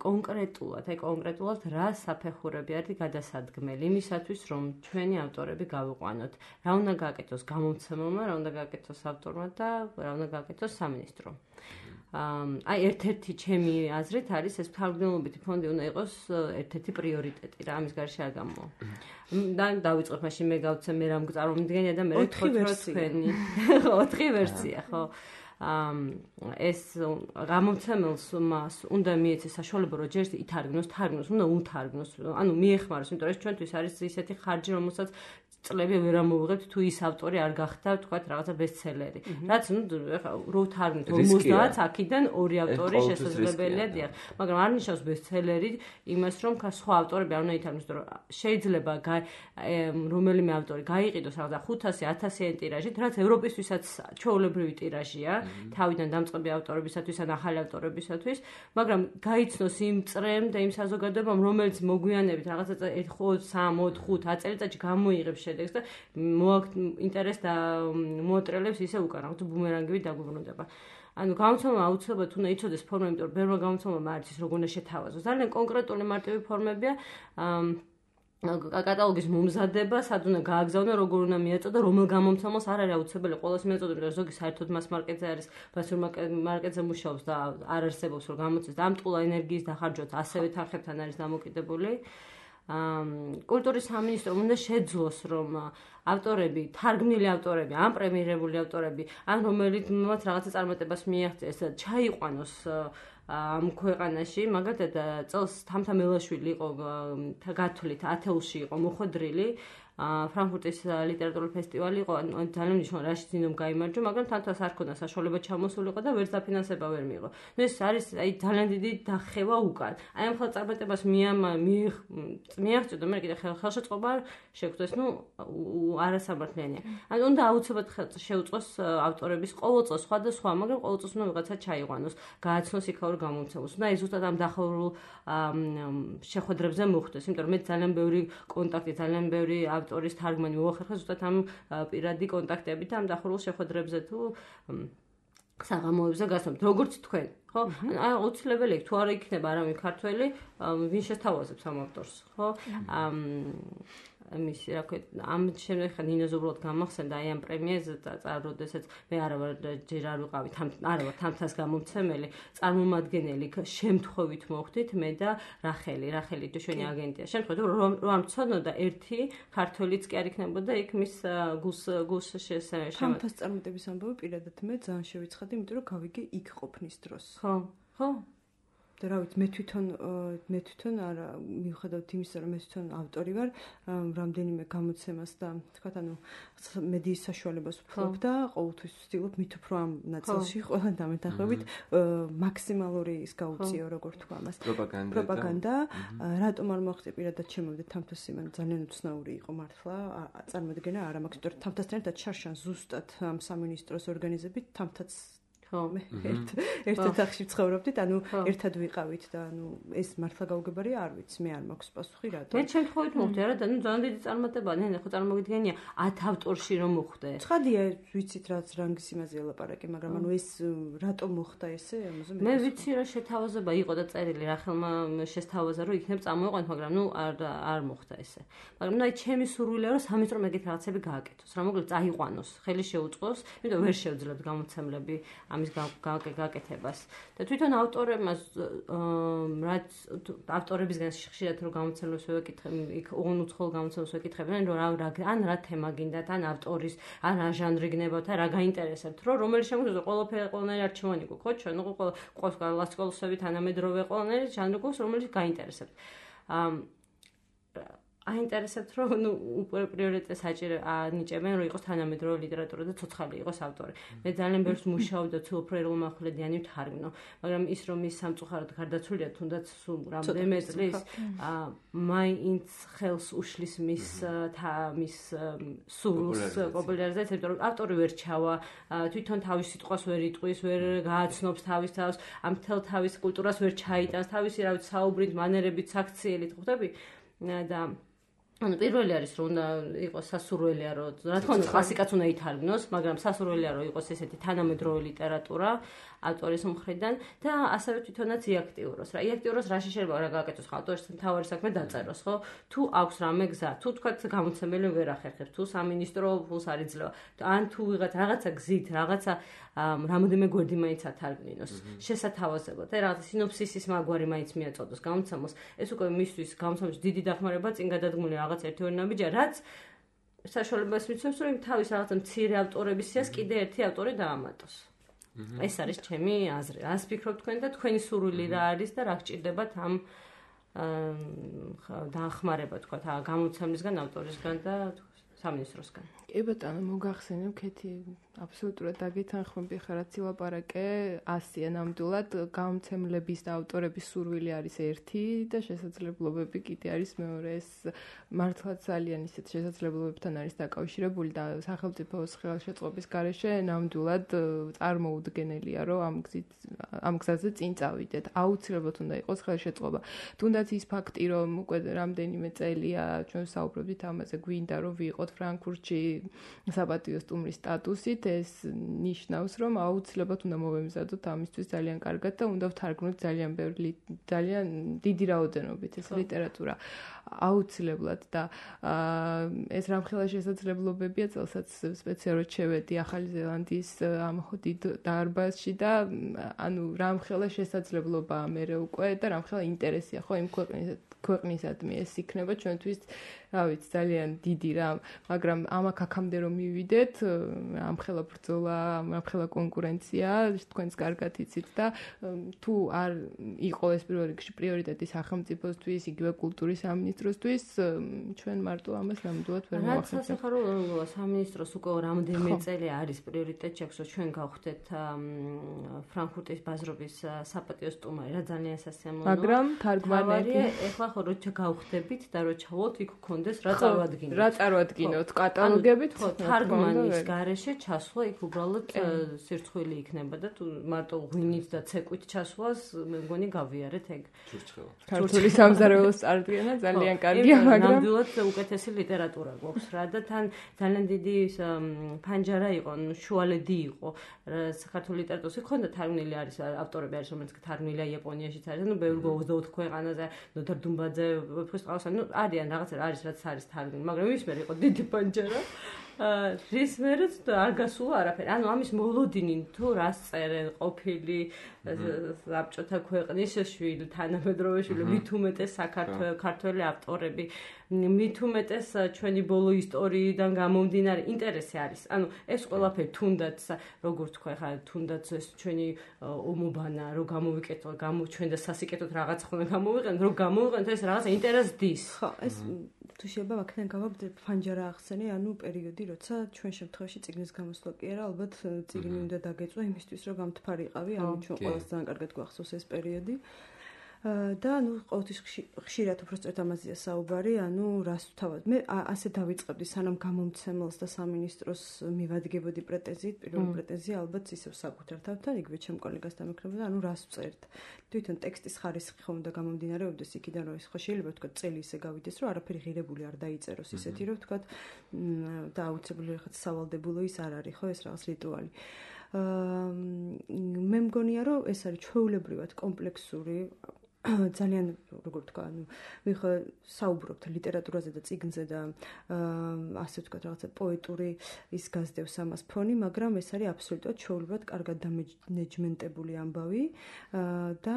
კონკრეტულად, აი კონკრეტულად რა საფეხურები არის გადასადგმელი იმისათვის, რომ ჩვენი ავტორები გავიყვანოთ? რა უნდა გააკეთოს გამომცემელმა, რა უნდა გააკეთოს ავტორმა და რა უნდა გააკეთოს სამინისტრომ? აი ერთ-ერთი ჩემი აზრით არის ეს თარგმნელობითი ფონდი უნდა იყოს ერთ-ერთი პრიორიტეტი რა ამის გარშე არ გამოვა. და დავიწყებ მაშინ მე გავცემ მე რამ წარმომიდგენია და მე ოთხი ვერსია. ოთხი ვერსია, ხო. ეს გამომცემელს მას უნდა მიეცეს საშუალება რომ ჯერ ითარგმნოს, თარგმნოს, უნდა უთარგმნოს, ანუ მიეხმაროს, იმიტომ რომ ეს ჩვენთვის არის ისეთი ხარჯი, რომელსაც წლები ვერ ამოვიღებთ თუ ის ავტორი არ გახდა, თქვათ, რაღაცა ბესტსელერი. რაც ნუ რო თარგმნით ორმოცდაათს აქიდან ორი ავტორი შესაძლებელია, დიახ. მაგრამ არ ნიშნავს ბესტსელერი იმას, რომ სხვა ავტორები არ უნდა ითარგმნოს, რომ შეიძლება რომელიმე ავტორი გაიყიდოს რაღაცა ხუთასი, ათასიანი ტირაჟით, რაც ევროპისთვისაც ჩვეულებრივი ტირაჟია, თავიდან დამწყები ავტორებისათვის ან ახალი ავტორებისათვის, მაგრამ გაიცნოს იმ წრემ და იმ საზოგადოებამ, რომელიც მოგვიანებით რაღაცა სამი, ოთხი, ხუთი წელიწადში გამოიღებს შედეგს და მოაქვს ინტერესს და მოატრელებს ისე უკან, რაღაცა ბუმერანგივით დაგვიბრუნდება. ანუ გამოცემა აუცილებლად უნდა იცოდეს ფორმა, იმიტომ რომ ბევრმა გამოცემამ არ იცის როგორ უნდა შეთავაზოს. ძალიან კონკრეტული მარტივი ფორმებია. კატალოგის მომზადება, სად უნდა გააგზავნო, როგორ უნდა მიაწოდო, რომელ გამომცემელს არ არის აუცილებელი ყოველს მიაწოდო, იმიტომ რომ ზოგი საერთოდ მას მარკეტზე არის, ბასურ მარკეტზე მუშაობს და არ არსებობს რომ გამოცეს და ამ ტყულა ენერგიის დახარჯვაც ასევე თანხებთან არის დამოკიდებული. კულტურის სამინისტრომ უნდა შეძლოს, რომ ავტორები, თარგმნილი ავტორები, ან პრემიერებული ავტორები, ან რომელიც რაღაცა წარმატებას მიაღწიეს, ჩაიყვანოს ამ ქვეყანაში, მაგათად წელს თამთა მელაშვილი იყო გათვლით ათეულში იყო მოხვედრილი, ფრანკფურტის ლიტერატურული ფესტივალი იყო, ძალიან მნიშვნელოვანი რაში ძინომ გაიმარჯვა, მაგრამ თანთას არ ქონდა საშუალება ჩამოსულიყო და ვერც დაფინანსება ვერ მიიღო. ნუ ეს არის აი ძალიან დიდი დახევა უკან. აი ამ ხელს წარმატებას მიაღწევდა, მე კიდე ხელშეწყობა შეგვწეს, ნუ არასამართლიანია. ანუ უნდა აუცილებლად შეუწყოს ავტორების ყოველ წელს სხვადასხვა, მაგრამ ყოველ წელს უნდა ვიღაცა ჩაიყვანოს, გააცნოს იქაურ გამომცემლს. და ეს ზუსტად ამ დახევრულ შეხვედრებზე მოხდეს, იმიტომ რომ მე ძალიან ბევრი კონტაქტი, ძალიან ბევრი ავტორის თარგმანი მოახერხა ზუსტად ამ პირადი კონტაქტებით და ამ დახურულ შეხვედრებზე თუ საღამოებზე გასვამთ, როგორც თქვენ, ხო? აი აუცილებელი იქ თუ არა იქნება არავინ ქართველი, ვინ შეთავაზებს ამ ავტორს, ხო? ამის რა ქვია, ამ შემდეგ ხა ნინოზე უბრალოდ გამახსენდა აი ამ პრემიაზე და როდესაც მე არა ვარ ჯერ არ ვიყავი თან არა ვარ თამთას გამომცემელი, წარმომადგენელი შემთხვევით მოხდით მე და რახელი, რახელი ჩვენი აგენტია. შემთხვევით რომ რომ ცოდნოდა ერთი ქართველიც კი არ იქნებოდა იქ მის გულს გულს შესაძლოა. თამთას წარმატების ამბავი პირადად მე ძალიან შევიცხადი, იმიტომ რომ გავიგე იქ ყოფნის დროს. ხო, ხო. და რა ვიცი, მე თვითონ მე თვითონ არა მიუხედავად იმისა, რომ მე თვითონ ავტორი ვარ, რამდენიმე გამოცემას და თქვათ, ანუ მედიის საშუალებას ვფლობ და ყოველთვის ვცდილობ მით უფრო ამ ნაწილში ყველა დამეთანხმებით მაქსიმალური ის გაუწიო, როგორ თქვა ამას. პროპაგანდა. პროპაგანდა. რატომ არ მოახდე პირადად შემოვიდე თამთას იმან ძალიან უცნაური იყო მართლა, წარმოადგენა არა მაქვს, იმიტომ რომ თამთასთან ერთად შარშან ზუსტად ამ სამინისტროს ორგანიზებით თამთაც მე ერთ ერთ ოთახში ვცხოვრობდით, ანუ ერთად ვიყავით და ანუ ეს მართლა გაუგებარია, არ ვიცი, მე არ მაქვს პასუხი რატომ. მე შემთხვევით მოხდა რა და ნუ ძალიან დიდი წარმატებაა, ნე ხო წარმოგიდგენია ათ ავტორში რომ მოხდა. ცხადია, ვიცით რაც რანგის იმაზე ელაპარაკე, მაგრამ ანუ ეს რატომ მოხდა ესე, ამაზე მე ვიცი რა შეთავაზება იყო და წერილი რახელმა შესთავაზა რომ იქნებ წამოიყვანთ, მაგრამ ნუ არ არ მოხდა ესე. მაგრამ ნუ აი ჩემი სურვილია რომ სამიწრო მეგეთ რაღაცები გააკეთოს, რა მოკლედ წაიყვანოს, ხელი შეუწყოს, იმიტომ ვერ შევძლებთ გამოცემლები ამის გაკეთებას. და თვითონ ავტორებმა რაც ავტორებისგან ხშირად რომ გამოცემლებს ვეკითხები, იქ უცხოელ გამოცემლებს ვეკითხებიან, რომ რა ან რა თემა გინდათ, ან ავტორის, ან რა ჟანრი გნებავთ, რა გაინტერესებთ, რომ რომელი შემოგვიძო ყველაფერი ყველანაირი არჩევანი გვაქვს, ხო? ჩვენ უკვე ყველა ლასკოლოსები თანამედროვე ყველანაირი ჟანრი გვაქვს, რომელიც გაინტერესებთ. აინტერესებთ რომ ნუ უკვე პრიორიტეტს აჭირე ანიჭებენ რომ იყოს თანამედროვე ლიტერატურა და ცოცხალი იყოს ავტორი. მე ძალიან ბევრს მუშაობ და თუ უფრო ეროვნულმახვილედიანი ვთარგმნო, მაგრამ ის რომ ის სამწუხაროდ გარდაცვლილია თუნდაც სულ რამდენიმე წლის, მაინც ხელს უშლის მის მის სულს პოპულარიზაციას, იმიტომ რომ ავტორი ვერ ჩავა, თვითონ თავის სიტყვას ვერ იტყვის, ვერ გააცნობს თავის თავს, ამ თელ თავის კულტურას ვერ ჩაიტანს, თავისი რა ვიცი საუბრით, მანერებით, საქციელით, ხვდები? და ანუ პირველი არის რომ უნდა იყოს სასურველია რომ რა თქმა უნდა კლასიკაც უნდა ითარგმნოს, მაგრამ სასურველია რომ იყოს ესეთი თანამედროვე ლიტერატურა ავტორის მხრიდან და ასევე თვითონაც იაქტიუროს. რა იაქტიუროს რაში შეიძლება რა გააკეთოს ავტორის თავარი საქმე დაწეროს, ხო? თუ აქვს რამე გზა, თუ თქვათ გამოცემელი ვერ ახერხებს, თუ სამინისტრო ფულს არ იძლევა, ან თუ ვიღაც რაღაცა გზით, რაღაცა რამოდენიმე გვერდი მაინც ათარგმნინოს შესათავაზებლად და რაღაცა სინოფსისის მაგვარი მაინც მიაწოდოს გამოცემოს. ეს უკვე მისთვის გამოცემის დიდი დახმარება წინ გადადგმული რაღაც ერთეული ნაბიჯია, რაც საშუალებას მიცემს, რომ თავის რაღაცა მცირე ავტორების სიას კიდე ერთი ავტორი დაამატოს. ეს არის ჩემი აზრი. რას ფიქრობთ თქვენ და თქვენი სურვილი რა არის და რა გჭირდებათ ამ დაახმარება თქვა გამოცემისგან, ავტორისგან და სამინისტროსგან. კი ბატონო, მოგახსენებ, ქეთი აბსოლუტურად დაგეთანხმები ხარ, რაც ილაპარაკე, ასია ნამდვილად გამოცემლების და ავტორების სურვილი არის ერთი და შესაძლებლობები კიდე არის მეორე. ეს მართლა ძალიან ისეთ შესაძლებლობებთან არის დაკავშირებული და სახელმწიფოს ხელშეწყობის გარეშე ნამდვილად წარმოუდგენელია, რომ ამ გზით ამ გზაზე წინ წავიდეთ. აუცილებლად უნდა იყოს ხელშეწყობა. თუნდაც ის ფაქტი, რომ უკვე რამდენიმე წელია ჩვენ საუბრობთ ამაზე, გვინდა რომ ვიყოთ ფრანკფურტში საპატიო სტუმრის სტატუსით, ეს ნიშნავს, რომ აუცილებლად უნდა მოვემზადოთ ამისთვის ძალიან კარგად და უნდა ვთარგმნოთ ძალიან ბევრი ძალიან დიდი რაოდენობით ეს ლიტერატურა. აუცილებლად და ეს რამხელა შესაძლებლობებია, წელსაც სპეციალურად შევედი ახალი ზელანდიის ამ დიდ დარბაზში და ანუ რამხელა შესაძლებლობაა მე უკვე და რამხელა ინტერესია ხო იმ ქვეყნის ქვეყნისადმი ეს იქნება ჩვენთვის რა ვიცი ძალიან დიდი რამ, მაგრამ ამაკ აქამდე რომ მივიდეთ, ამხელა ბრძოლა, ამხელა კონკურენცია, თქვენს კარგად იცით და თუ არ იყო ეს პირველ რიგში პრიორიტეტი სახელმწიფოსთვის, იგივე კულტურის სამინისტროსთვის, ჩვენ მარტო ამას ნამდვილად ვერ მოახერხებთ. რაც სასახარო სამინისტროს უკვე რამდენიმე წელი არის პრიორიტეტი, შეგვიძლია ჩვენ გავხდეთ ფრანკფურტის ბაზრობის საპატიო სტუმარი, რა ძალიან სასიამოვნოა. მაგრამ თარგმანები ეხლა ხო როცა გავხდებით და რო ჩავოთ იქ გქონდეს რა წარმოადგინოთ. რა წარმოადგინოთ. გავიჩინოთ კატალოგებით, ხო, თარგმანის გარეშე ჩასვლა იქ უბრალოდ სირცხვილი იქნება და თუ მარტო ღვინით და ცეკვით ჩასვლას მე მგონი გავიარეთ ეგ. ჩურჩხელა. ქართული სამზარეულოს წარდგენა ძალიან კარგია, მაგრამ ნამდვილად უკეთესი ლიტერატურა გვაქვს რა და თან ძალიან დიდი ფანჯარა იყო, შუალედი იყო საქართველოს ლიტერატურაში. ხონდა თარგმნილი არის ავტორები არის რომელიც თარგმნილია იაპონიაშიც არის, ну ბევრი ოცდაოთხ ქვეყანაზე, ნოთარ დუმბაძე, ვეფხისტყაოსანი, ну არიან რაღაცა არის რაც არის თარგმნილი, მაგრამ ის მე იყო დიდი პანჯარა. რის მერეც არ გასულა არაფერი. ანუ ამის მოლოდინი თუ რას წერენ ყოფილი საბჭოთა ქვეყნის შვილი, თანამედროვე შვილი, მით უმეტეს საქართველოს ქართველი ავტორები, მით უმეტეს ჩვენი ბოლო ისტორიიდან გამომდინარე ინტერესი არის. ანუ ეს ყველაფერი თუნდაც როგორ თქვა ხა თუნდაც ეს ჩვენი ომობანა რო გამოვიკეთო, გამო ჩვენ და სასიკეთოდ რაღაც ხომ გამოვიყენოთ, რო გამოვიყენოთ ეს რაღაც ინტერესს დის. ხო, ეს თუ შეიძლება აქედან გავაბდე ფანჯარა ახსენე, ანუ პერიოდი, როცა ჩვენ შემთხვევაში წიგნის გამოსვლა კი არა, ალბათ წიგნი უნდა დაგეწვა იმისთვის, რომ გამთფარიყავი, ანუ ჩვენ ყველას ძალიან კარგად გვახსოვს ეს პერიოდი. და ნუ ყოველთვის ხშირად უბრალოდ ამაზეა საუბარი, ანუ რას თავად მე ასე დავიწყებდი სანამ გამომცემელს და სამინისტროს მივადგებოდი პრეტენზიით, პირველი პრეტენზია ალბათ ისევ საკუთარ თავთან, იგივე ჩემ კოლეგასთან მეკრებოდა, ანუ რას ვწერთ. თვითონ ტექსტის ხარისხი ხომ უნდა გამომდინარეობდეს იქიდან, რომ ის ხო შეიძლება თქვა წელი ისე გავიდეს, რომ არაფერი ღირებული არ დაიწეროს ისეთი, რომ თქვა და აუცილებლად რაღაც სავალდებულო ის არ არის, ხო ეს რაღაც რიტუალი. მე მგონია, რომ ეს არის ჩვეულებრივად კომპლექსური ძალიან როგორ თქვა, ანუ მე ხო საუბრობთ ლიტერატურაზე და წიგნზე და ასე ვთქვა რაღაცა პოეტური ის გასდევს ამას ფონი, მაგრამ ეს არის აბსოლუტურად ჩვეულებრივად კარგად დამენეჯმენტებული ამბავი და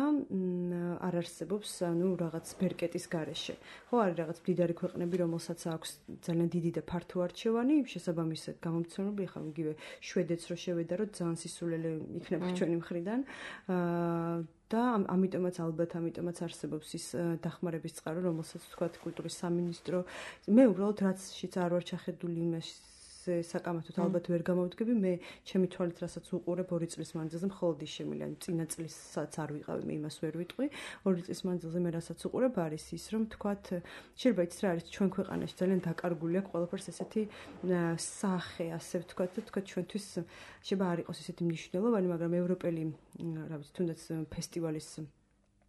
არ არსებობს ანუ რაღაც ბერკეტის გარეშე. ხო არის რაღაც მდიდარი ქვეყნები, რომელსაც აქვს ძალიან დიდი და ფართო არჩევანი, შესაბამისად გამომცემლები, ხა იგივე შვედეთს რო შევედა, რომ ძალიან სისულელე იქნება ჩვენი მხრიდან. და ამიტომაც ალბათ ამიტომაც არსებობს ის დახმარების წყარო, რომელსაც თქვა კულტურის სამინისტრო. მე უბრალოდ რაცშიც არ ვარ ჩახედული იმაში საკამათოდ ალბათ ვერ გამოვდგები, მე ჩემი თვალით რასაც უყურებ ორი წლის მანძილზე მხოლოდ ის შემიძლია, წინა წლისაც არ ვიყავი, მე იმას ვერ ვიტყვი. ორი წლის მანძილზე მე რასაც უყურებ არის ის, რომ თქვათ, შეიძლება იცით რა არის ჩვენ ქვეყანაში ძალიან დაკარგული აქვს ყველაფერს ესეთი სახე, ასე ვთქვათ და თქვათ ჩვენთვის შეიძლება არ იყოს ესეთი მნიშვნელოვანი, მაგრამ ევროპელი, რა ვიცი, თუნდაც ფესტივალის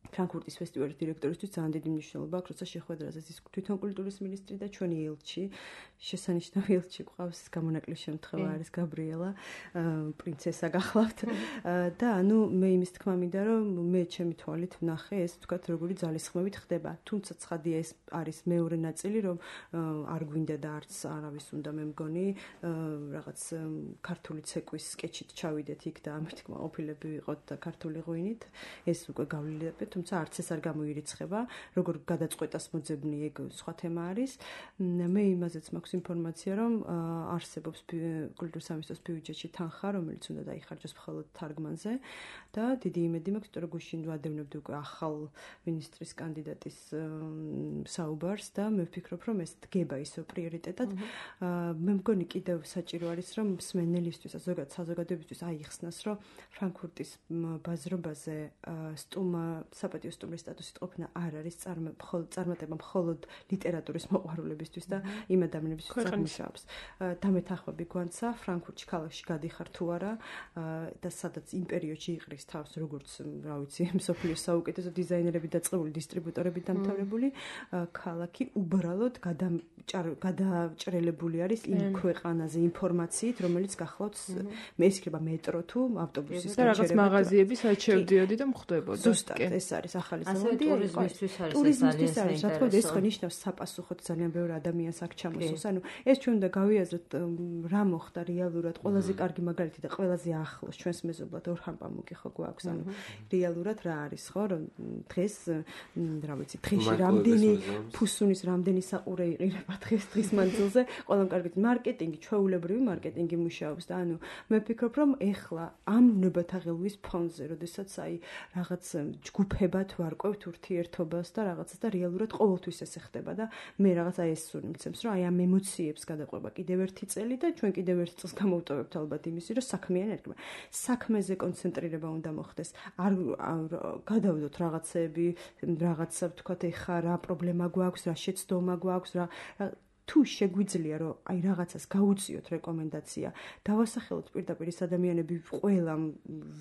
ფრანკფურტის ფესტივალის დირექტორისთვის ძალიან დიდი მნიშვნელობა აქვს, როცა შეხვედრაზე ის თვითონ კულტურის მინისტრი და ჩვენი ელჩი, შესანიშნავი ელჩი ყავს, გამონაკლისის შემთხვევა არის გაბრიელა, პრინცესა გახლავთ და ანუ მე იმის თქმა მინდა, რომ მე ჩემი თვალით ვნახე ეს თქვათ როგორი ძალისხმევით ხდება. თუმცა ცხადია ეს არის მეორე ნაწილი, რომ არ გვინდა და არც არავის უნდა მე მგონი რაღაც ქართული ცეკვის სკეჩით ჩავიდეთ იქ და ამით კმაყოფილები ვიყოთ და ქართული ღვინით. ეს უკვე გავლილებით თუმცა არც ეს არ გამოირიცხება, როგორ გადაწყვეტას მოძებნი ეგ სხვა თემა არის. მე იმაზეც მაქვს ინფორმაცია, რომ არსებობს კულტურის სამინისტროს ბიუჯეტში თანხა, რომელიც უნდა დაიხარჯოს მხოლოდ თარგმანზე და დიდი იმედი მაქვს, რომ გუშინ ვადევნებდი უკვე ახალ მინისტრის კანდიდატის საუბარს და მე ვფიქრობ, რომ ეს დგება ისო პრიორიტეტად. მე მგონი კიდევ საჭირო არის, რომ მსმენელისთვის, ზოგადად საზოგადოებისთვის აიხსნას, რომ ფრანკფურტის ბაზრობაზე სტუმა საპატიო სტუმრის სტატუსით ყოფნა არ არის წარმატება მხოლოდ ლიტერატურის მოყვარულებისთვის და იმ ადამიანებისთვის წარმოშობს. დამეთახვები გვანცა ფრანკფურტში ქალაქში გადიხარ თუ არა და სადაც იმ პერიოდში იყრის თავს როგორც რა ვიცი მსოფლიოს საუკეთესო დიზაინერები დაწყებული დისტრიბუტორები დამთავრებული ქალაქი უბრალოდ გადაჭრელებული არის იმ ქვეყანაზე ინფორმაციით, რომელიც გახლავთ მე ისქრება მეტრო თუ ავტობუსის და რაღაც მაღაზიები სადაც შევდიოდი და მხვდებოდა. ზუსტად ეს არის ახალი ზელანდია, ტურიზმისთვის არის, რა თქმა უნდა, ეს ხო ნიშნავს საპასუხოდ ძალიან ბევრი ადამიანს აქ ჩამოსულს. ანუ ეს ჩვენ უნდა გავიაზროთ რა მოხდა რეალურად, ყველაზე კარგი მაგალითი და ყველაზე ახლოს ჩვენს მეზობლად ორჰან პამუკი ხო გვაქვს, ანუ რეალურად რა არის ხო, რომ დღეს რა ვიცი, დღეში რამდენი ფუსუნის რამდენი საყურე იყირება დღეს დღის მანძილზე, ყველამ კარგით მარკეტინგი, ჩვეულებრივი მარკეტინგი მუშაობს და ანუ მე ვფიქრობ, რომ ეხლა ამ ნებათაღელვის ფონზე, როდესაც აი რაღაც ჯგუფებად ვარკვევთ ურთიერთობას და რაღაცას და რეალურად ყოველთვის ესე ხდება და მე რაღაცა ეს სული მცემს, რომ აი ამ ემოციებს გადაყვება კიდევ ერთი წელი და ჩვენ კიდევ ერთ წელს გამოვტოვებთ ალბათ იმისი, რომ საქმიანი ერქება. საქმეზე კონცენტრირება უნდა მოხდეს. არ გადავდოთ რაღაცები, რაღაცა ვთქვათ, ეხა რა პრობლემა გვაქვს, რა შეცდომა გვაქვს, რა თუ შეგვიძლია რომ აი რაღაცას გაუწიოთ რეკომენდაცია, დავასახელოთ პირდაპირ ის ადამიანები ყველა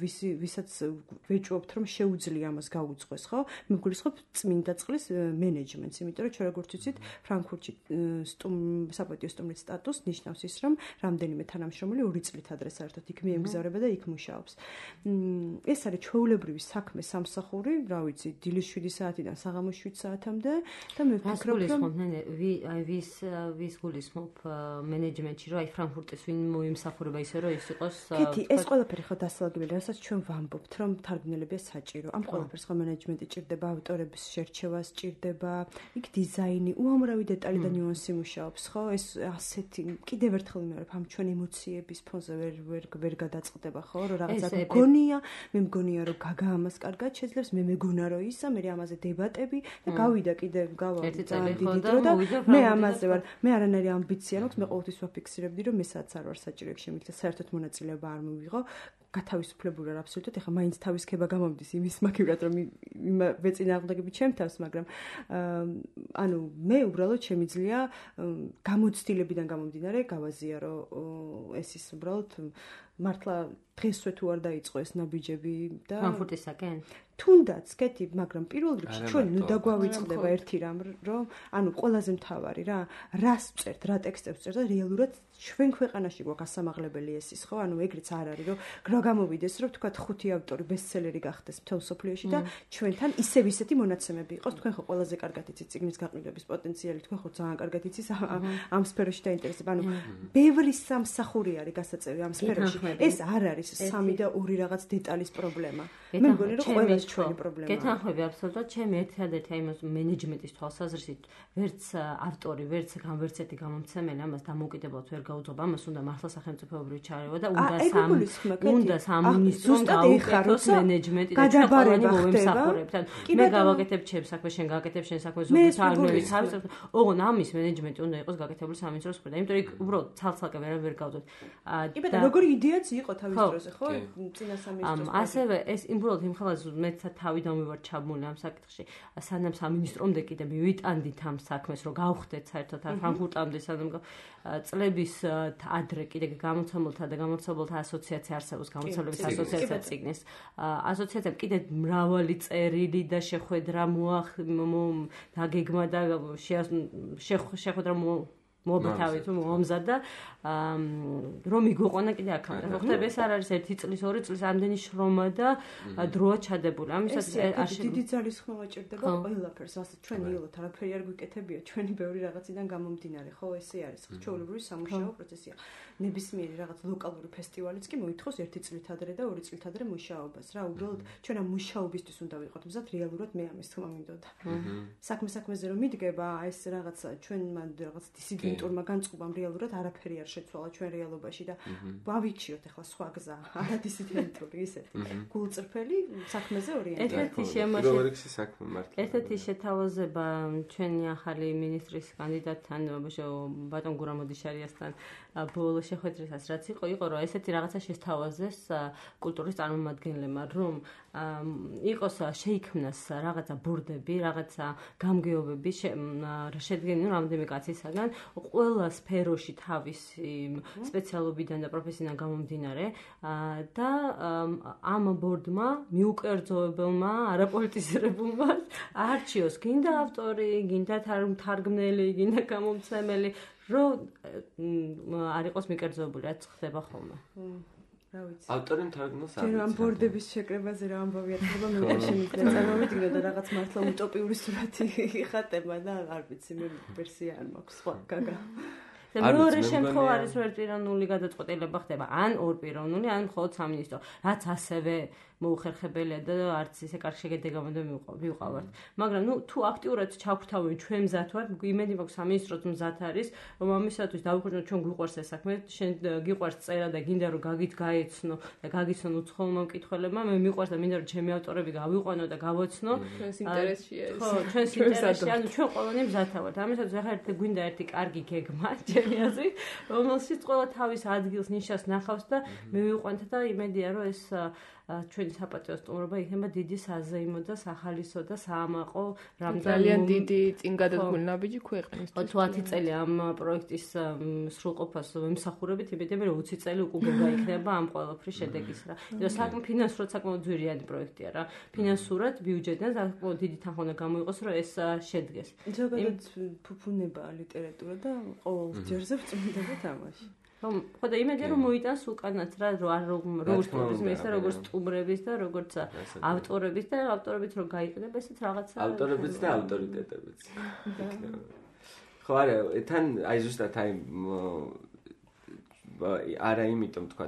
ვისი ვისაც ვეჭვობთ რომ შეუძლია ამას გაუძღვეს, ხო? მე მგულისხმობ წმინდა წყლის მენეჯმენტს, იმიტომ რომ ჩვენ როგორც ვიცით, ფრანკფურტში სტუმ საპატიო სტუმრის სტატუსს ნიშნავს ის, რომ რამდენიმე თანამშრომელი ორი წლით ადრე საერთოდ იქ მიემგზავრება და იქ მუშაობს. ეს არის ჩვეულებრივი საქმე სამსახური, რა ვიცი, დილის შვიდი საათიდან საღამოს შვიდ საათამდე და მე ვფიქრობ რომ ვის ვის გულისხმობ მენეჯმენტში, რომ აი ფრანკფურტის ვინ მოიმსახურება ისე რომ ის იყოს კეთი, ეს ყველაფერი ხო დასალაგებელი, რასაც ჩვენ ვამბობთ, რომ თარგმნელებია საჭირო. ამ ყველაფერს ხო მენეჯმენტი ჭირდება, ავტორების შერჩევა სჭირდება, იქ დიზაინი, უამრავი დეტალი და ნიუანსი მუშაობს, ხო? ეს ასეთი კიდევ ერთხელ ვიმეორებ, ამ ჩვენ ემოციების ფონზე ვერ ვერ ვერ გადაწყდება, ხო? რომ რაღაცა მგონია, მე მგონია რომ გაგა ამას კარგად შეძლებს, მე მეგონა რომ ისა, მე ამაზე დებატები და გავიდა კიდევ გავა ძალიან დიდი დრო და მე ამაზე ვარ. მე არანაირი ამბიცია მაქვს, მე ყოველთვის ვაფიქსირებდი რომ მე სადაც არ ვარ საჭირო ეგ შემიძლია საერთოდ მონაწილეობა არ მივიღო. გათავისუფლებული არ აბსოლუტურად, ეხლა მაინც თავის ქება გამომდის იმის მაგივრად რომ ვეწინააღმდეგები ჩემ თავს, მაგრამ ანუ მე უბრალოდ შემიძლია გამოცდილებიდან გამომდინარე გავაზიარო ეს ის უბრალოდ მართლა დღესვე თუ არ დაიწყო ეს ნაბიჯები და ფრანკფურტისაკენ თუნდაც კეთი, მაგრამ პირველ რიგში ჩვენ ნუ დაგვავიწყდება ერთი რამ, რომ ანუ ყველაზე მთავარი რა, რას ვწერთ, რა ტექსტებს ვწერთ და რეალურად ჩვენ ქვეყანაში გვაქვს ასამაღლებელი ეს ის, ხო? ანუ ეგრეც არ არის, რომ რა გამოვიდეს, რომ თქვა ხუთი ავტორი ბესტსელერი გახდეს მთელ სოფლიოში და ჩვენთან ისევ ისეთი მონაცემები იყოს, თქვენ ხო ყველაზე კარგად იცით წიგნის გაყიდვების პოტენციალი, თქვენ ხო ძალიან კარგად იცით ამ სფეროში დაინტერესება. ანუ ბევრი სამსახური არის გასაწევი ამ სფეროში. ეს არ არის სამი და ორი რაღაც დეტალის პრობლემა. მე მგონი რომ ყველა ჩვენი პრობლემაა. გეთანხმები აბსოლუტურად, ჩემი ერთადერთი აი მას მენეჯმენტის თვალსაზრისით, ვერც ავტორი, ვერც გამვერცეთი გამომცემელი ამას დამოუკიდებლად ვერ გაუძღობა, ამას უნდა მართლა სახელმწიფოებრივი ჩარევა და უნდა სამ უნდა სამინისტრომ გაუკეთოს მენეჯმენტი და ჩვენ ყველანი მოვემსახურებთ. მე გავაკეთებ ჩემს საქმეს, შენ გააკეთებ შენ საქმეს, ზოგადად თარგმნების თავის. ოღონ ამის მენეჯმენტი უნდა იყოს გაკეთებული სამინისტროს მხრიდან, იმიტომ რომ იქ უბრალოდ ცალ-ცალკე ვერ ვერ გავდოთ. და როგორი იდეაც იყო თავის დროზე, ხო? წინა სამინისტროს. ასევე ეს იმბრალოდ იმ ხალხს მეც თავიდან მივარ ჩაბმული ამ საკითხში. სანამ სამინისტრომდე კიდე მივიტანდით ამ საქმეს, რომ გავხდეთ საერთოდ ფრანკფურტამდე, სანამ წლების ადრე კიდე გამოცემულთა და გამოცემულთა ასოციაცია არსებობს, გამოცემლების ასოციაცია წიგნის. ასოციაციამ კიდე მრავალი წერილი და შეხვედრა მოახ დაგეგმა და შეხვედრა მობათავი თუ მომზადა რომ იგვიყვანა კიდე აქამდე. ხო ხდება ეს არ არის ერთი წლის, ორი წლის ამდენი შრომა და დროა ჩადებული. ამისაც დიდი ძალის ხმევა ჭირდება ყველაფერს. ასე ჩვენ იოლოთ არაფერი არ გვიკეთებია, ჩვენი ბევრი რაღაციდან გამომდინარე, ხო, ესე არის. ჩვეულებრივი სამუშაო პროცესია. ნებისმიერი რაღაც ლოკალური ფესტივალიც კი მოითხოვს ერთი წლით ადრე და ორი წლით ადრე მუშაობას. რა, უბრალოდ ჩვენ ამ მუშაობისთვის უნდა ვიყოთ მზად, რეალურად მე ამის თქმა მინდოდა. საქმე საქმეზე რომ მიდგება, ეს რაღაცა ჩვენ რაღაც დისიდენტურმა განწყობამ რეალურად არაფერი არ შეცვალა ჩვენ რეალობაში და ვავიჩიოთ ახლა სხვა გზა, არა დისიდენტური ისეთი. გულწრფელი საქმეზე ორიენტირებული. ერთ-ერთი შემოშე საქმე მართლა. ერთ-ერთი შეთავაზება ჩვენი ახალი მინისტრის კანდიდატთან, ბატონ გურამოდიშარიასთან ბოლო შეხვედრისას რაც იყო, იყო რომ ესეთი რაღაცა შესთავაზეს კულტურის წარმომადგენლებმა, რომ იყოს შეიქმნას რაღაცა ბურდები, რაღაცა გამგეობები შედგენილი რამდენიმე კაცისაგან, ყველა სფეროში თავისი სპეციალობიდან და პროფესიიდან გამომდინარე და ამ ბორდმა მიუკერძოებელმა არაპოლიტიზირებულმა არჩიოს გინდა ავტორი, გინდა თარგმნელი, გინდა გამომცემელი, რომ არ იყოს მიკერძოებული, რაც ხდება ხოლმე. რა ვიცი. ავტორი თარგმნელს არ ვიცი. ჩვენ ამ ბორდების შეკრებაზე რა ამბავი ატყობა, მე ვერ შემიძლია წარმოვიდგინო და რაღაც მართლა утоპიური სურათი იხატება და არ ვიცი, მე ვერსია არ მაქვს სხვა გაგა. და მეორე შემთხვევა არის რომ ერთპიროვნული გადაწყვეტილება ხდება, ან ორპიროვნული, ან მხოლოდ სამინისტრო, რაც ასევე მოუხერხებელია და არც ისე კარგი შეგედეგამდე მივყავართ. მაგრამ ნუ თუ აქტიურად ჩავხვთავენ ჩვენ მზად ვართ, იმედი მაქვს სამინისტროც მზად არის, რომ ამისათვის დავუხვდეთ ჩვენ გვიყვარს ეს საქმე, შენ გიყვარს წერა და გინდა რომ გაგით გაეცნო და გაგიცნო უცხოელმა მკითხველებმა, მე მიყვარს და მინდა რომ ჩემი ავტორები გავიყვანო და გავოცნო. ჩვენს ინტერესშია ეს. ხო, ჩვენს ინტერესში, ანუ ჩვენ ყველანი მზად ვართ. ამისათვის ახლა ერთი გვინდა ერთი კარგი გეგმა, ჩემი აზრით, რომელშიც ყველა თავის ადგილს ნიშას ნახავს და მე ვიყვანთ და იმედია რომ ეს ჩვენი საპატიო სტუმრობა იქნება დიდი საზეიმო და სახალისო და საამაყო რამდენი ძალიან დიდი წინ გადადგმული ნაბიჯი ქვეყნისთვის. ოცდაათი წელი ამ პროექტის სრულყოფას ვიმსახურებით, იმედები რომ ოცი წელი უკვე გაიქნება ამ ყველაფრის შედეგის რა. იმიტომ საკმ ფინანსურად საკმაოდ ძვირიანი პროექტია რა. ფინანსურად ბიუჯეტიდან საკმაოდ დიდი თანხა უნდა გამოიყოს, რომ ეს შედგეს. ზოგადად ფუფუნებაა ლიტერატურა და ყოველ ჯერზე წმინდება თამაში. ხო და იმედია რომ მოიტანს უკანაც რა როგორც ტურიზმის და როგორც სტუმრების და როგორც ავტორების და ავტორებით რომ გაიყიდება ესეც რაღაცა ავტორებიც და ავტორიტეტებიც. ხო არა, თან აი ზუსტად აი არა იმიტომ თქვა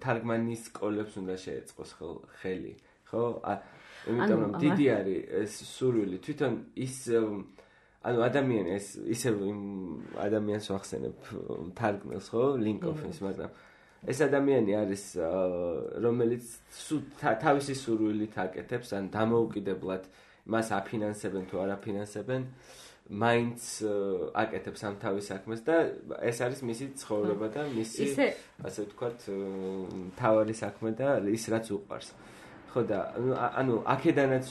თარგმანის სკოლებს უნდა შეეწყოს ხელი, ხო? იმიტომ რომ დიდი არის ეს სურვილი თვითონ ის ანუ ადამიანი ეს ისე ადამიანს ვახსენებ თარგმნელს ხო ლინკოფის მაგრამ ეს ადამიანი არის რომელიც თავისი სურვილით აკეთებს ან დამოუკიდებლად მას აფინანსებენ თუ არ აფინანსებენ მაინც აკეთებს ამ თავის საქმეს და ეს არის მისი ცხოვრება და მისი ასე ვთქვათ თავარი საქმე და ის რაც უყვარს ხო და ანუ აქედანაც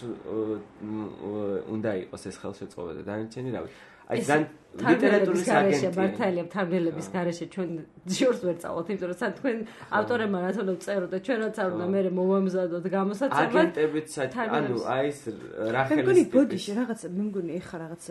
უნდა იყოს ეს ხელშეწყობა და დანარჩენი რა ვიცი აი ძალიან ლიტერატურის აგენტი ბართალია თარგმნელების გარეშე ჩვენ შორს ვერ წავალთ იმიტომ რომ სად თქვენ ავტორებმა რაც უნდა წეროთ და ჩვენ რაც არ უნდა მე მომამზადოთ გამოსაცემად აგენტებიც ანუ აი ეს რახელის მე მგონი ბოდიში რაღაც მე მგონი ეხა რაღაც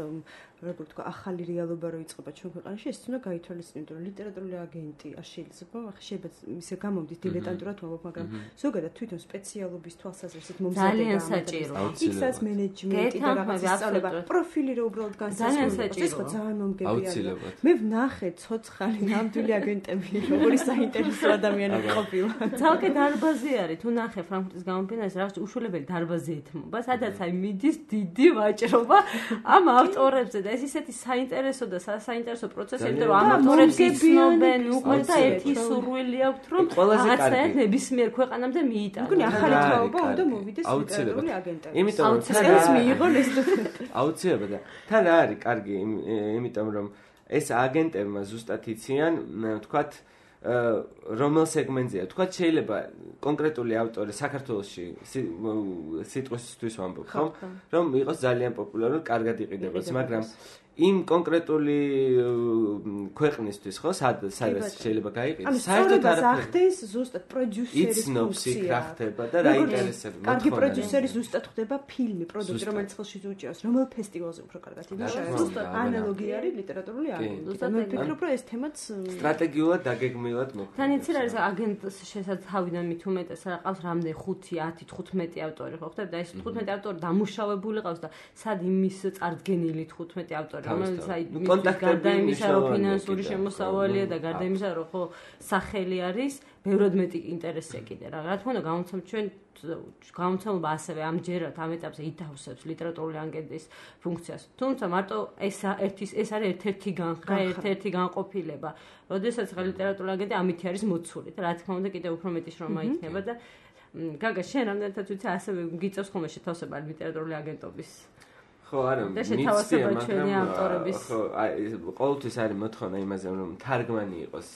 როგორ თქვა ახალი რეალობა რო იწყება ჩვენ ქვეყანაში ეს უნდა გაითვალისწინოთ იმიტომ რომ ლიტერატურული აგენტი არ შეიძლება ახლა შეიძლება ისე გამომდის დილეტანტურად ვამბობ მაგრამ ზოგადად თვითონ სპეციალობის თვალსაზრისით მომზადება ძალიან საჭიროა იქსაც მენეჯმენტი და რაღაც ისწავლება პროფილი რო უბრალოდ განსაზღვრება ეს ხო ძალიან მომგებია მე ვნახე ცოცხალი ნამდვილი აგენტები როგორი საინტერესო ადამიანები ყოფილა ძალკე დარბაზი არის თუ ნახე ფრანკფურტის გამოფენას რაღაც უშუალებელი დარბაზი ეთმობა სადაც აი მიდის დიდი ვაჭრობა ამ ავტორებზე და ეს ისეთი საინტერესო და საინტერესო პროცესები რომ ამ ავტორებს იცნობენ უკვე და ერთი სურვილი აქვთ რომ რაღაცა ნებისმიერ ქვეყანამდე მიიტანონ მგონი ახალი თაობა უნდა მოვიდეს ლიტერატურული აგენტები იმიტომ რომ ეს მიიღონ ეს აუცილებლად და თან რა არის კარგი იმიტომ რომ ეს აგენტებმა ზუსტად იციან ვთქვათ რომელ სეგმენტზეა ვთქვათ შეიძლება კონკრეტული ავტორი საქართველოში სიტყვისთვის ვამბობ ხომ რომ იყოს ძალიან პოპულარული კარგად იყიდებოდეს მაგრამ იმ კონკრეტული ქვეყნისთვის ხო სადაც შეიძლება გაიყიდოს საერთოდ არაფერს ზუსტად პროდიუსერის იცნობს იქ რა ხდება და რა ინტერესებს კარგი პროდიუსერი ზუსტად ხდება ფილმი პროდუქტი რომელიც ხელში უჭირავს რომელ ფესტივალზე უფრო კარგად იმუშავებს ანალოგია არის ლიტერატურული აგენტი ზუსტად მე ვფიქრობ რომ ეს თემაც სტრატეგიულად დაგეგმილად მოხდა თან იცი რა არის აგენტს შესაძლოა თავიდან მით უმეტეს რა ყავს რამდენი ხუთი ათი თხუთმეტი ავტორი ხო ხდება და ეს თხუთმეტი ავტორი დამუშავებული ყავს და სად იმის წარდგენილი თხუთმეტი ავტორი რომელიც აი გარდა იმისა რომ ფინანსური შემოსავალია და გარდა იმისა რომ ხო სახელი არის ბევრად მეტი ინტერესია კიდე რა რა თქმა უნდა გამოცემ ჩვენ გამოცემობა ასევე ამჯერად ამ ეტაპზე ითავსებს ლიტერატურული აგენტის ფუნქციას თუმცა მარტო ეს ერთის ეს არის ერთ-ერთი განხრა ერთ-ერთი განყოფილება როდესაც ხა ლიტერატურული აგენტი ამითი არის მოცული და რა თქმა უნდა კიდე უფრო მეტი შრომა იქნება და გაგა შენ რამდენადაც ვიცი ასევე გიწევს ხოლმე შეთავსება ლიტერატურული აგენტობის ხო არა მიცია მაგრამ ავტორების ხო აი ყოველთვის არის მოთხოვნა იმაზე რომ თარგმანი იყოს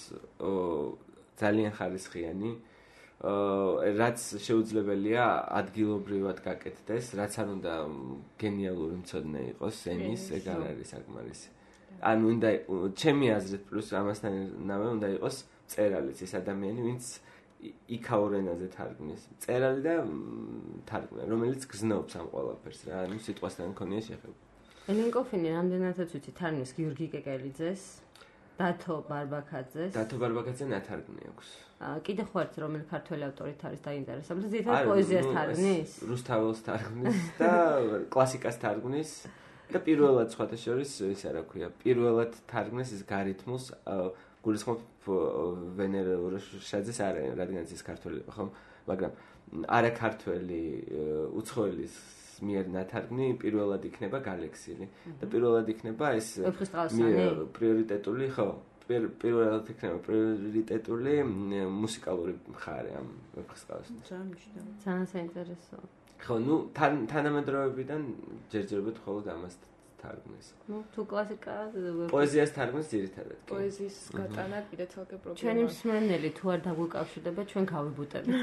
ძალიან ხარისხიანი რაც შეუძლებელია ადგილობრივად გაკეთდეს რაც არ უნდა გენიალური მცოდნე იყოს ენის ეგ არ არის საკმარისი ანუ უნდა ჩემი აზრით პლუს ამასთანავე უნდა იყოს წერალიც ეს ადამიანი ვინც იქაურ ენაზე თარგმნის წერალი და თარგმანი რომელიც გზნობს ამ ყველაფერს რა ანუ სიტყვასთან მქონია შეხება ლინკოფინი რამდენადაც ვიცი თარგმნის გიორგი კეკელიძეს დათო ბარბაკაძეს დათო ბარბაკაძე ნათარგმნი აქვს კიდე ხო ერთ რომელი ქართველი ავტორით არის დაინტერესებული ზედა პოეზიას თარგმნის რუსთაველს თარგმნის და კლასიკას თარგმნის და პირველად სხვათა შორის ის რა ქვია პირველად თარგმნის ის გარითმულს გულისხმობ ვენერა ურაშაძეს არა რადგანაც ის ქართველი ხომ მაგრამ არა ქართველი უცხოელის მიერ ნათარგმნი პირველად იქნება გალექსილი და პირველად იქნება ეს პრიორიტეტული ხო პირველად იქნება პრიორიტეტული მუსიკალური მხარე ამ ვეფხისტყაოსნის ძალიან საინტერესო ხო ნუ თანამედროვეებიდან ჯერჯერობით მხოლოდ ამას თარგმნის. ნუ თუ კლასიკა პოეზიას თარგმნის ძირითადად. პოეზიის გატანა კიდე ცალკე პრობლემაა. ჩვენი მსმენელი თუ არ დაგვიკავშირდება, ჩვენ გავიბუტებით.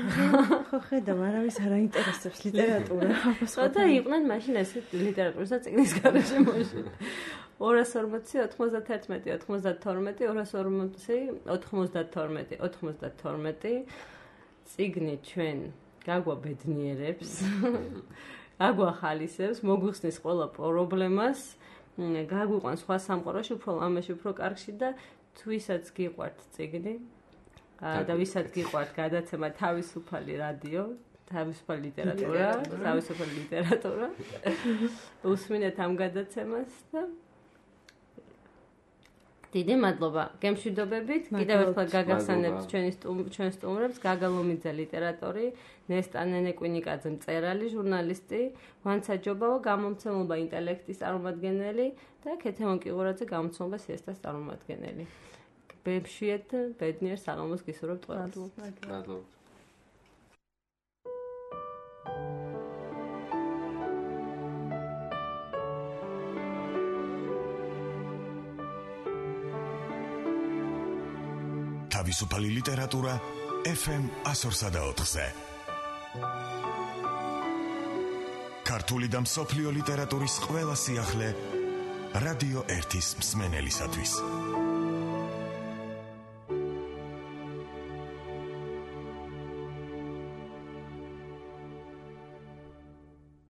ხო, ხედავ, არავის არ აინტერესებს ლიტერატურა. ხოდა იყვნენ მაშინ ეს ლიტერატურისა წიგნის გარეშე მოშли. ორას ორმოცი, ოთხმოცდათერთმეტი, ოთხმოცდათორმეტი, ორას ორმოცი, ოთხმოცდათორმეტი, ოთხმოცდათორმეტი წიგნი ჩვენ გაგვაბედნიერებს. აგვახალისებს, მოგვიხსნის ყველა პრობლემას, გაგვიყვანს სხვა სამყაროში, უფრო ლამაში, უფრო კარგში და თვისაც გიყვართ წიგნი და ვისაც გიყვართ გადაცემა თავისუფალი რადიო, თავისუფალი ლიტერატურა, თავისუფალი ლიტერატურა. უსმინეთ ამ გადაცემას და დიდი მადლობა. გემშვიდობებით. კიდევ ერთხელ გაგახსენებთ ჩვენი ჩვენ სტუმრებს, გაგა ლომიძე ლიტერატორი, ნესტა ნენეკვინიკაძე მწერალი, ჟურნალისტი, ვანცა ჯობავა გამომცემლობა ინტელექტის წარმომადგენელი და ქეთემონ კიღურაძე გამომცემლობა სიესტას წარმომადგენელი. ბებშვიეთ, ბედნიერ საღამოს გისურვებთ ყველას. მადლობა. თავისუფალი ლიტერატურა ეფ ემ ასორსა და ოთხზე. ქართული და მსოფლიო ლიტერატურის ყველა სიახლე რადიო ერთის მსმენელისათვის.